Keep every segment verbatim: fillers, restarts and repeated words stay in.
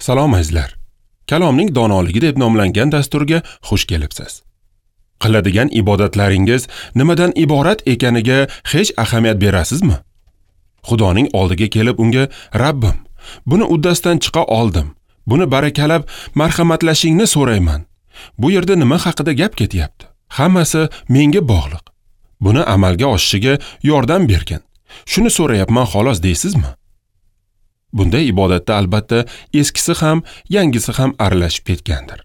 Salom azizlar. Kalomning donoligi deb nomlangan dasturga xush kelibsiz. Qiladigan ibodatlaringiz nimadan iborat ekaniga hech ahamiyat berasizmi? Xudoning oldiga kelib unga Rabbim, buni uddasidan chiqa oldim. Buni barakalab marhamatlashingni so'rayman. Bu yerda nima haqida gap ketyapti? Hammasi menga bog'liq. Buni amalga oshishiga yordam bergin. Shuni so'rayapman xolos deysizmi? Bunday ibodatda albatta eskisi ham, yangisi ham aralashib ketgandir.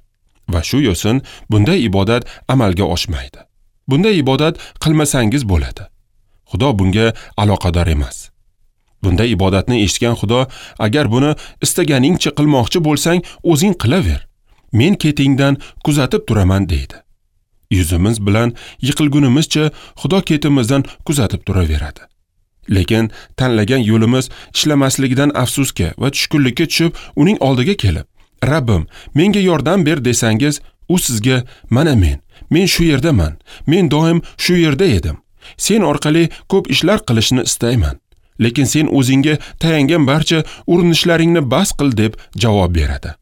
Va shu yo'sin bunday ibodat amalga oshmaydi. Bunday ibodat qilmasangiz bo'ladi. Xudo bunga aloqador emas. Bunday ibodatni eshitgan Xudo, agar buni istaganingcha qilmoqchi bo'lsang, o'zing qilaver. Men ketingdan kuzatib turaman deydi. Yuzimiz bilan yiqilgunimizcha Xudo ketimizdan kuzatib turaveradi. Lekin tanlagan yo'limiz ishlamasligidan afsusga va tushkunlikka tushib, uning oldiga kelib, Rabbim, menga yordam ber desangiz, u sizga mana men, men shu yerdaman, men doim shu yerda edim. Sen orqali ko'p ishlar qilishni istayman. Lekin sen o'zingga tayangan barcha urinishlaringni bas qil deb javob beradi.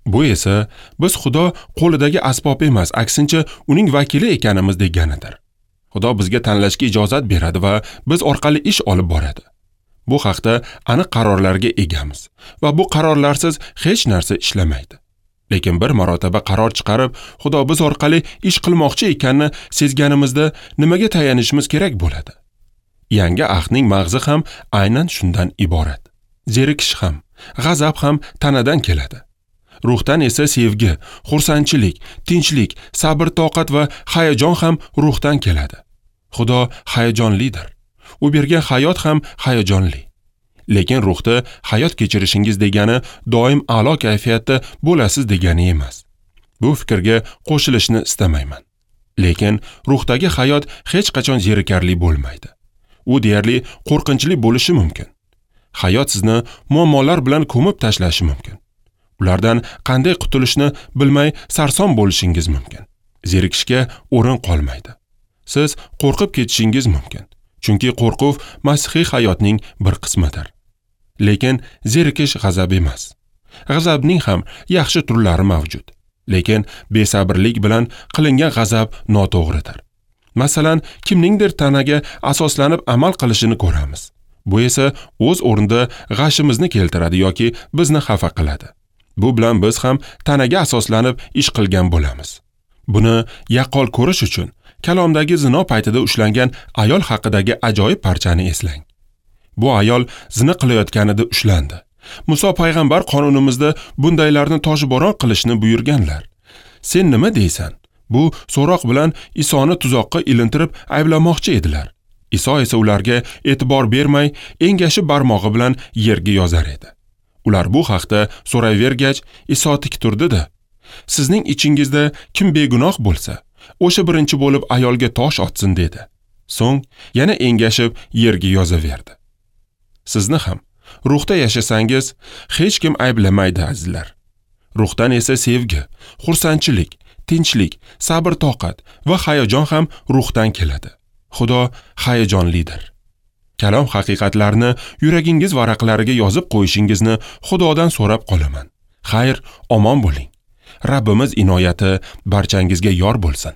Bu esa biz Xudo qo'lidagi asbob emas, aksincha uning vakili ekanimiz deganidir. Xudo bizga tanlashga ijozat beradi va biz orqali ish olib boradi. Bu haqda aniq qarorlarga egamiz va bu qarorlarsiz hech narsa ishlamaydi. Lekin bir marotaba qaror chiqarib, Xudo biz orqali ish qilmoqchi ekanini sezganimizda nimaga tayanishimiz kerak bo'ladi? Yangi ahdning mag'zi ham aynan shundan iborat. Zerikish ham, g'azab ham tanadan keladi. Ruhdan esa sevgi, xursandchilik, tinchlik, sabr-toqat va hayajon ham ruhdan keladi. Xudo hayajonlidir. U bergan hayot ham hayajonli. Lekin ruhda hayot kechirishingiz degani doim a'lo kayfiyatda bo'lasiz degani emas. Bu fikrga qo'shilishni istamayman. Lekin ruhdagi hayot hech qachon zerikarli bo'lmaydi. U deyarli qo'rqinchli bo'lishi mumkin. Hayot sizni muammolar bilan ko'mib tashlashi mumkin. Ulardan qanday qutulishni bilmay sarson bo'lishingiz mumkin. Zerikishga o'rin qolmaydi. Siz qo'rqib ketishingiz mumkin. Chunki qo'rquv masihiy hayotning bir qismidir. Lekin zerikish g'azab emas. G'azabning ham yaxshi turlari mavjud. Lekin besabrlik bilan qilingan g'azab noto'g'ridir. Masalan, kimningdir tanaga asoslanib amal qilishini ko'ramiz. Bu esa o'z o'rnida g'ashimizni keltiradi yoki bizni xafa qiladi. Bu bilan biz ham tanaga asoslanib ish qilgan bo'lamiz. Buni yaqqol ko'rish uchun kalomdagi zino paytida ushlangan ayol haqidagi ajoyib parchani eslang. Bu ayol zina qilayotganida ushlandi. Muso payg'ambar qonunimizda bundaylarni toshbo'ron qilishni buyurganlar. Sen nima deysan? Bu so'roq bilan Isoni tuzoqqa ilintirib ayblamoqchi edilar. Iso esa ularga e'tibor bermay, engashib barmog'i bilan yerga yozar edi. Ular bu haqda so'rayvergach, Iso tik turdi-da, sizning ichingizda kim begunoh bo'lsa, o'sha birinchi bo'lib ayolga tosh otsin dedi. So'ng yana engashib yerga yozaverdi. Sizni ham ruhda yashasangiz, hech kim ayblamaydi azizlar. Ruhdan esa sevgi, xursandchilik, tinchlik, sabr-toqat va hayajon ham ruhdan keladi. Xudo hayajonlidir. Kalom haqiqatlarini yuragingiz varaqlariga yozib qo'yishingizni Xudodan so'rab qolaman. Xayr, omon bo'ling. Rabbimiz inoyati barchangizga yor bo'lsin.